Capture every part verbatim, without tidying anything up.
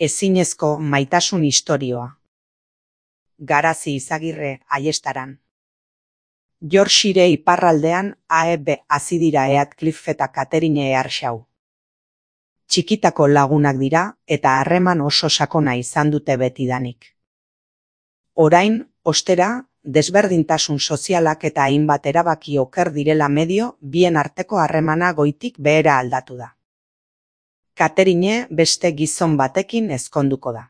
Ezinezko maitasun istorioa. Garazi Izagirre Aiestaran. Yorkshire iparraldean A E B hazi dira Heathcliff eta Catherine Earnshaw. Txikitako lagunak dira eta harreman oso sakona izan dute betidanik. Orain, ostera, desberdintasun sozialak eta hainbat erabaki oker direla medio, bien arteko harremana goitik behera aldatu da. Catherine beste gizon batekin ezkonduko da.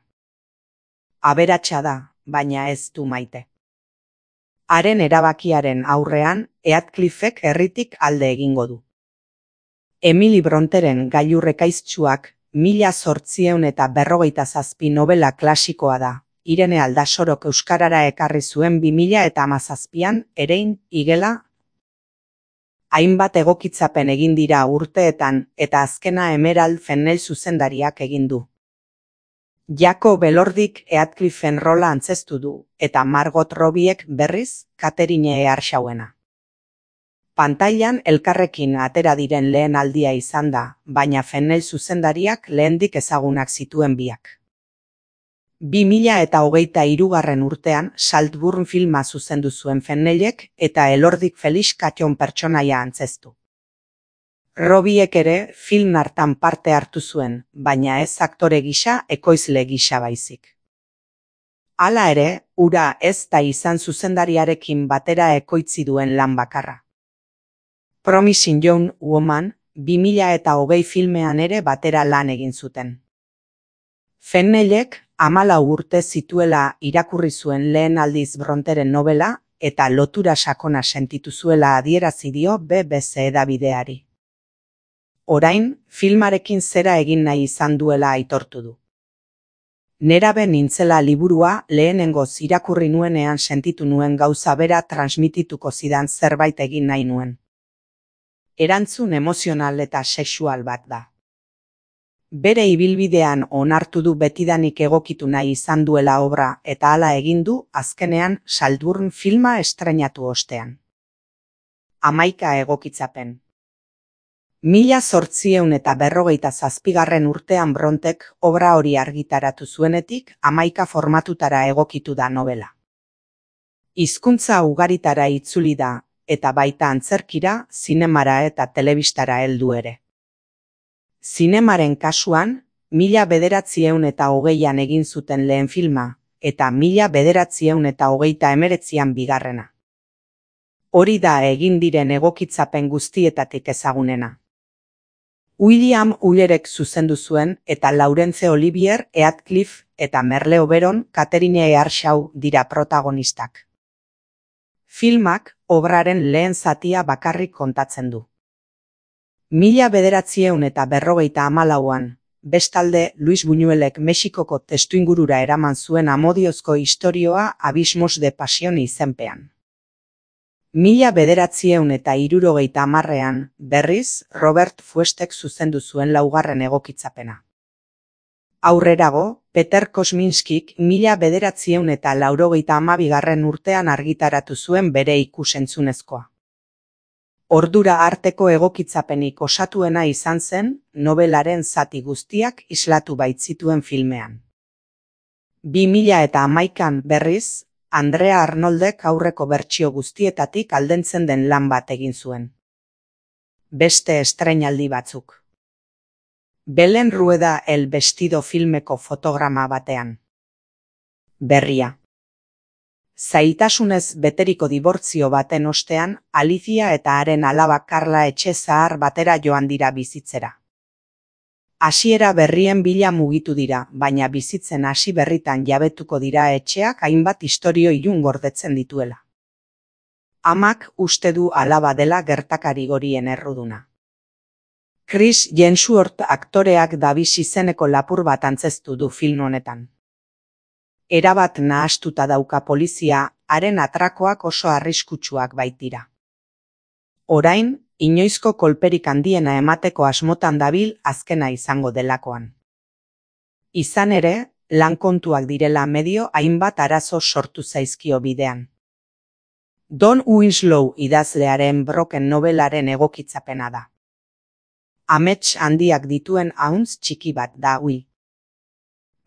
Aberatsa da, baina ez du maite. Haren erabakiaren aurrean, Heathcliffek herritik alde egingo du. Emily Bronteren gailurrekaiztsuak mila zortziehun eta berrogeita zazpi novela klasikoa da. Irene Aldasorok euskarara ekarri zuen bi mila eta hamazazpian, Erein, igela. Hainbat egokitzapen egin dira urteetan eta azkena Emerald Fennell zuzendariak egin du. Jacob Elordik Heathcliffen rola antzeztu du, eta Margot Robbiek berriz Catherine Earnshawena. Pantailan elkarrekin atera diren lehen aldia izan da, baina Fennell zuzendariak lehendik ezagunak zituen biak. bi mila eta hogeita hirugarren urtean Saltburn filma zuzendu zuen Fennellek eta Elordik Felix Catchon pertsonaia antzeztu. Robbiek ere film hartan parte hartu zuen, baina ez aktore gisa, ekoizle gisa baizik. Hala ere, hura ez da izan zuzendariarekin batera ekoitzi duen lan bakarra. Promising Young Woman, bi mila eta hogei filmean ere batera lan egin zuten. Fennellek hamalau urte zituela irakurri zuen lehen aldiz Bronteren novela eta lotura sakona sentitu zuela adierazi dio B B C edabideari. Orain, filmarekin zera egin nahi izan duela aitortu du. Nerabe nintzela liburua lehenengoz irakurri nuenean sentitu nuen gauza bera transmitituko zidan zerbait egin nahi nuen. Erantzun emozional eta sexual bat da. Bere ibilbidean onartu du betidanik egokitu nahi izan duela obra eta hala egin du azkenean Saltburn filma estreinatu ostean. Hamaika egokitzapen. Mila zortziehun eta berrogeita zazpigarren urtean Brontek obra hori argitaratu zuenetik hamaika formatutara egokitu da novela. Hizkuntza ugaritara itzuli da, eta baita antzerkira, zinemara eta telebistara heldu ere. Zinemaren kasuan, mila bederatziehun eta hogeian egin zuten lehen filma, eta mila bederatziehun eta hogeita hemeretzian bigarrena. Hori da egin diren egokitzapen guztietatik ezagunena. William Ullerek zuzendu zuen eta Laurence Olivier Heathcliff eta Merle Oberon Catherine Earnshaw dira protagonistak. Filmak obraren lehen zatia bakarrik kontatzen du. Mila bederatziehun eta berrogeita hamalauan, bestalde Luis Buñuelek Mexikoko testuingurura eraman zuen amodiozko istorioa Abismos de Pasión izenpean. Mila bederatziehun eta hirurogeita hamarrean, berriz, Robert Froestek zuzendu zuen laugarren egokitzapena. Aurrerago, Peter Kosminskik mila bederatziehun eta laurogeita hamabigarren urtean argitaratu zuen bere ikusentzunezkoa. Ordura arteko egokitzapenik osatuena izan zen, nobelaren zati guztiak islatu baitzituen filmean. Bi mila eta hamaikan berriz, Andrea Arnoldek aurreko bertsio guztietatik aldentzen den lan bat egin zuen. Beste estreinaldi batzuk. Belen Rueda El Vestido filmeko fotograma batean. Berria. Zailtasunez beteriko dibortzio baten ostean, Alicia eta haren alaba Carla etxe zahar batera joan dira bizitzera. Hasiera berrien bila mugitu dira, baina bizitzen hasi berritan jabetuko dira etxeak hainbat istorio ilun gordetzen dituela. Amak uste du alaba dela gertakari gorien erruduna. Chris Hemsworth aktoreak Davis izeneko lapur bat antzeztu du film honetan. Erabat nahastuta dauka polizia, haren atrakoak oso arriskutsuak baitira. Orain, inoizko kolperik handiena emateko asmotan dabil azkena izango delakoan. Izan ere, lan kontuak direla medio hainbat arazo sortu zaizkio bidean. Don Winslow idazlearen Broken novelaren egokitzapena da. Amets handiak dituen ahuntz txiki bat da hui.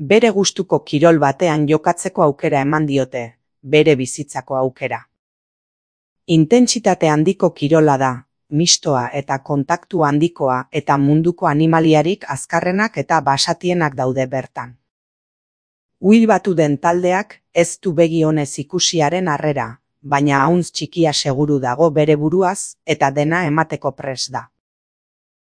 Bere gustuko kirol batean jokatzeko aukera eman diote, bere bizitzako aukera. Intentsitate handiko kirola da, mistoa eta kontaktu handikoa eta munduko animaliarik azkarrenak eta basatienak daude bertan. Will batu den taldeak ez du begi onez ikusiaren harrera, baina ahuntz txikia seguru dago bere buruaz eta dena emateko prest da.